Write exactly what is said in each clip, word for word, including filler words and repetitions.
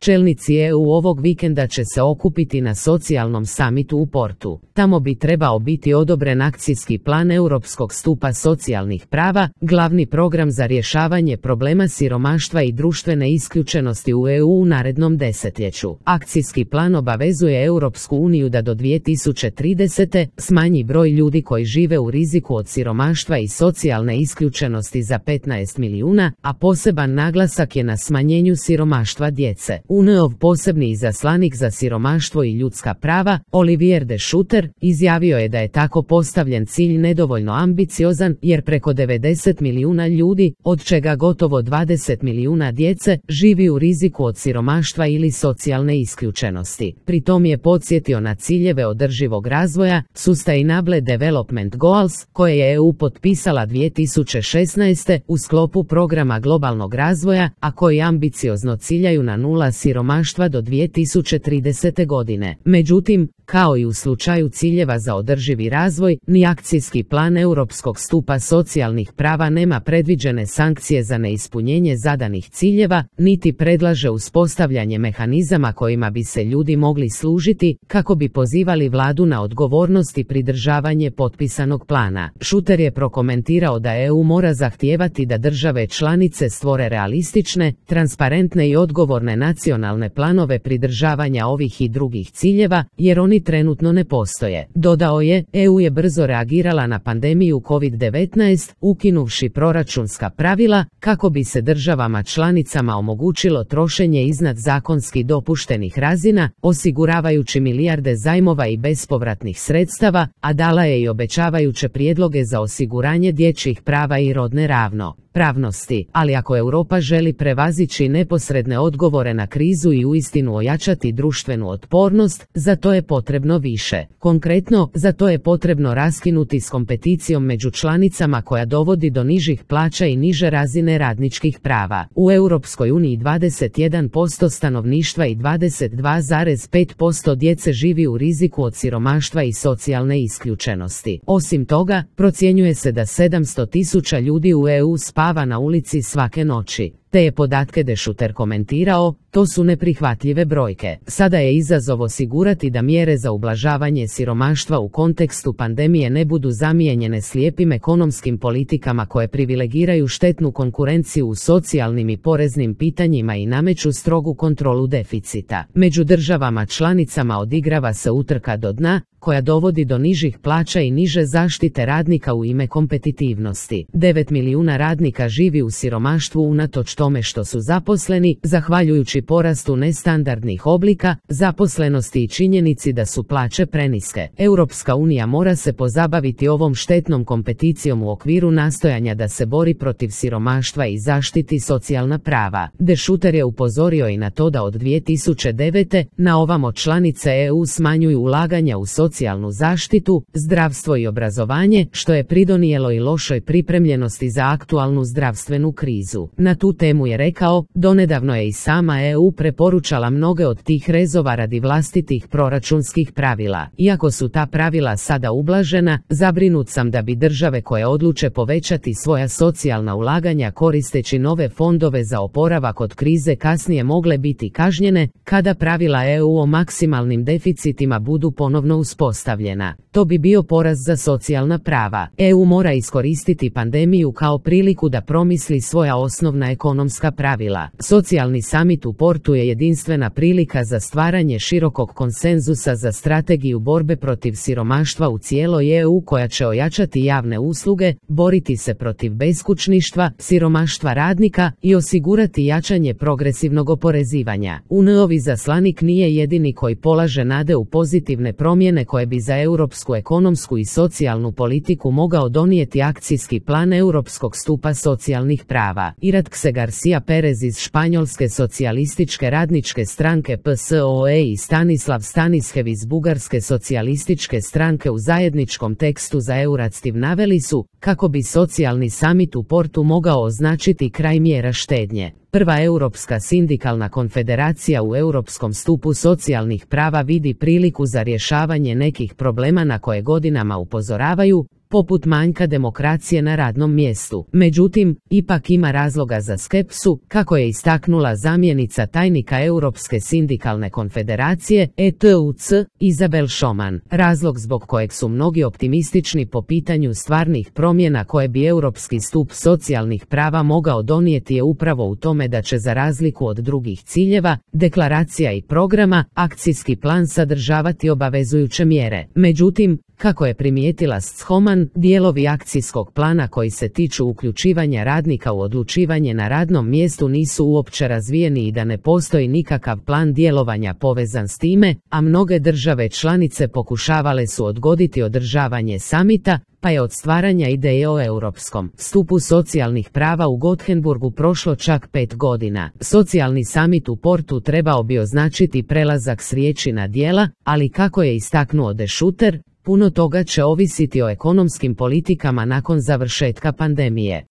Čelnici E U ovog vikenda će se okupiti na socijalnom samitu u Portu. Tamo bi trebao biti odobren akcijski plan Europskog stupa socijalnih prava, glavni program za rješavanje problema siromaštva i društvene isključenosti u E U u narednom desetljeću. Akcijski plan obavezuje Europsku uniju da do dvije tisuće tridesete smanji broj ljudi koji žive u riziku od siromaštva i socijalne isključenosti za petnaest milijuna, a poseban naglasak je na smanjenju siromaštva djece. U N ov posebni izaslanik za siromaštvo i ljudska prava, Olivier de Schutter, izjavio je da je tako postavljen cilj nedovoljno ambiciozan jer preko devedeset milijuna ljudi, od čega gotovo dvadeset milijuna djece, živi u riziku od siromaštva ili socijalne isključenosti. Pri tom je podsjetio na ciljeve održivog razvoja, Sustainable Development Goals, koje je E U potpisala dvije tisuće šesnaeste u sklopu programa globalnog razvoja, a koji ambiciozno ciljaju na nula siromaštva do dvije tisuće tridesete godine. Međutim, kao i u slučaju ciljeva za održivi razvoj, ni akcijski plan Europskog stupa socijalnih prava nema predviđene sankcije za neispunjenje zadanih ciljeva, niti predlaže uspostavljanje mehanizama kojima bi se ljudi mogli služiti, kako bi pozivali vladu na odgovornost i pridržavanje potpisanog plana. Schutter je prokomentirao da E U mora zahtijevati da države članice stvore realistične, transparentne i odgovorne nacionalne planove pridržavanja ovih i drugih ciljeva, jer oni trenutno ne postoje. Dodao je, E U je brzo reagirala na pandemiju kovid devetnaest, ukinuvši proračunska pravila, kako bi se državama članicama omogućilo trošenje iznad zakonski dopuštenih razina, osiguravajući milijarde zajmova i bespovratnih sredstava, a dala je i obećavajuće prijedloge za osiguranje dječjih prava i rodne ravno pravnosti, ali ako Europa želi prevazići neposredne odgovore na krizu i uistinu ojačati društvenu otpornost, za to je potrebno više. Konkretno, za to je potrebno raskinuti s kompeticijom među članicama koja dovodi do nižih plaća i niže razine radničkih prava. U Europskoj uniji dvadeset jedan posto stanovništva i dvadeset dva zarez pet posto djece živi u riziku od siromaštva i socijalne isključenosti. Osim toga, procjenjuje se da sedamsto tisuća ljudi u E U spava na ulici svake noći. Te je podatke de Schutter komentirao, to su neprihvatljive brojke. Sada je izazov osigurati da mjere za ublažavanje siromaštva u kontekstu pandemije ne budu zamijenjene slijepim ekonomskim politikama koje privilegiraju štetnu konkurenciju u socijalnim i poreznim pitanjima i nameću strogu kontrolu deficita. Među državama članicama odigrava se utrka do dna, koja dovodi do nižih plaća i niže zaštite radnika u ime kompetitivnosti. devet milijuna radnika živi u siromaštvu unatoč tome što su zaposleni, zahvaljujući porastu nestandardnih oblika zaposlenosti i činjenici da su plaće preniske. Europska unija mora se pozabaviti ovom štetnom kompeticijom u okviru nastojanja da se bori protiv siromaštva i zaštiti socijalna prava. De Schutter je upozorio i na to da od dvije tisuće devete na ovamo članice E U smanjuju ulaganja u socijalnu zaštitu, zdravstvo i obrazovanje, što je pridonijelo i lošoj pripremljenosti za aktualnu zdravstvenu krizu. Na tu temu je rekao, donedavno je i sama E U preporučala mnoge od tih rezova radi vlastitih proračunskih pravila. Iako su ta pravila sada ublažena, zabrinut sam da bi države koje odluče povećati svoja socijalna ulaganja koristeći nove fondove za oporavak od krize kasnije mogle biti kažnjene, kada pravila E U o maksimalnim deficitima budu ponovno uspostavljena. To bi bio poraz za socijalna prava. E U mora iskoristiti pandemiju kao priliku da promisli svoja osnovna ekonomska pravila. Socijalni samit u Portu je jedinstvena prilika za stvaranje širokog konsenzusa za strategiju borbe protiv siromaštva u cijeloj E U koja će ojačati javne usluge, boriti se protiv beskućništva, siromaštva radnika i osigurati jačanje progresivnog oporezivanja. U N ovi zaslanik nije jedini koji polaže nade u pozitivne promjene koje bi za europsku ekonomsku i socijalnu politiku mogao donijeti akcijski plan Europskog stupa socijalnih prava. Iratxe Garcia Perez iz Španjolske socijalističke radničke stranke P S O E i Stanislav Stanishev iz Bugarske socijalističke stranke u zajedničkom tekstu za Euratstiv naveli su, kako bi socijalni samit u Portu mogao označiti kraj mjera štednje. Prva Europska sindikalna konfederacija u Europskom stupu socijalnih prava vidi priliku za rješavanje nekih problema na koje godinama upozoravaju, poput manjka demokracije na radnom mjestu. Međutim, ipak ima razloga za skepsu, kako je istaknula zamjenica tajnika Europske sindikalne konfederacije E T U C, Izabel Šoman. Razlog zbog kojeg su mnogi optimistični po pitanju stvarnih promjena koje bi europski stup socijalnih prava mogao donijeti je upravo u tome da će, za razliku od drugih ciljeva, deklaracija i programa, akcijski plan sadržavati obavezujuće mjere. Međutim, kako je primijetila Schoman, dijelovi akcijskog plana koji se tiču uključivanja radnika u odlučivanje na radnom mjestu nisu uopće razvijeni i da ne postoji nikakav plan djelovanja povezan s time, a mnoge države članice pokušavale su odgoditi održavanje samita, pa je od stvaranja ideje o europskom stupu socijalnih prava u Gothenburgu prošlo čak pet godina. Socijalni samit u Portu trebao bi označiti prelazak s riječi na djela, ali kako je istaknuo De Schutter, puno toga će ovisiti o ekonomskim politikama nakon završetka pandemije.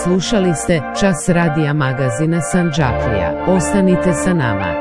Slušali ste Čas radija magazina Sandžaklija. Ostanite sa nama.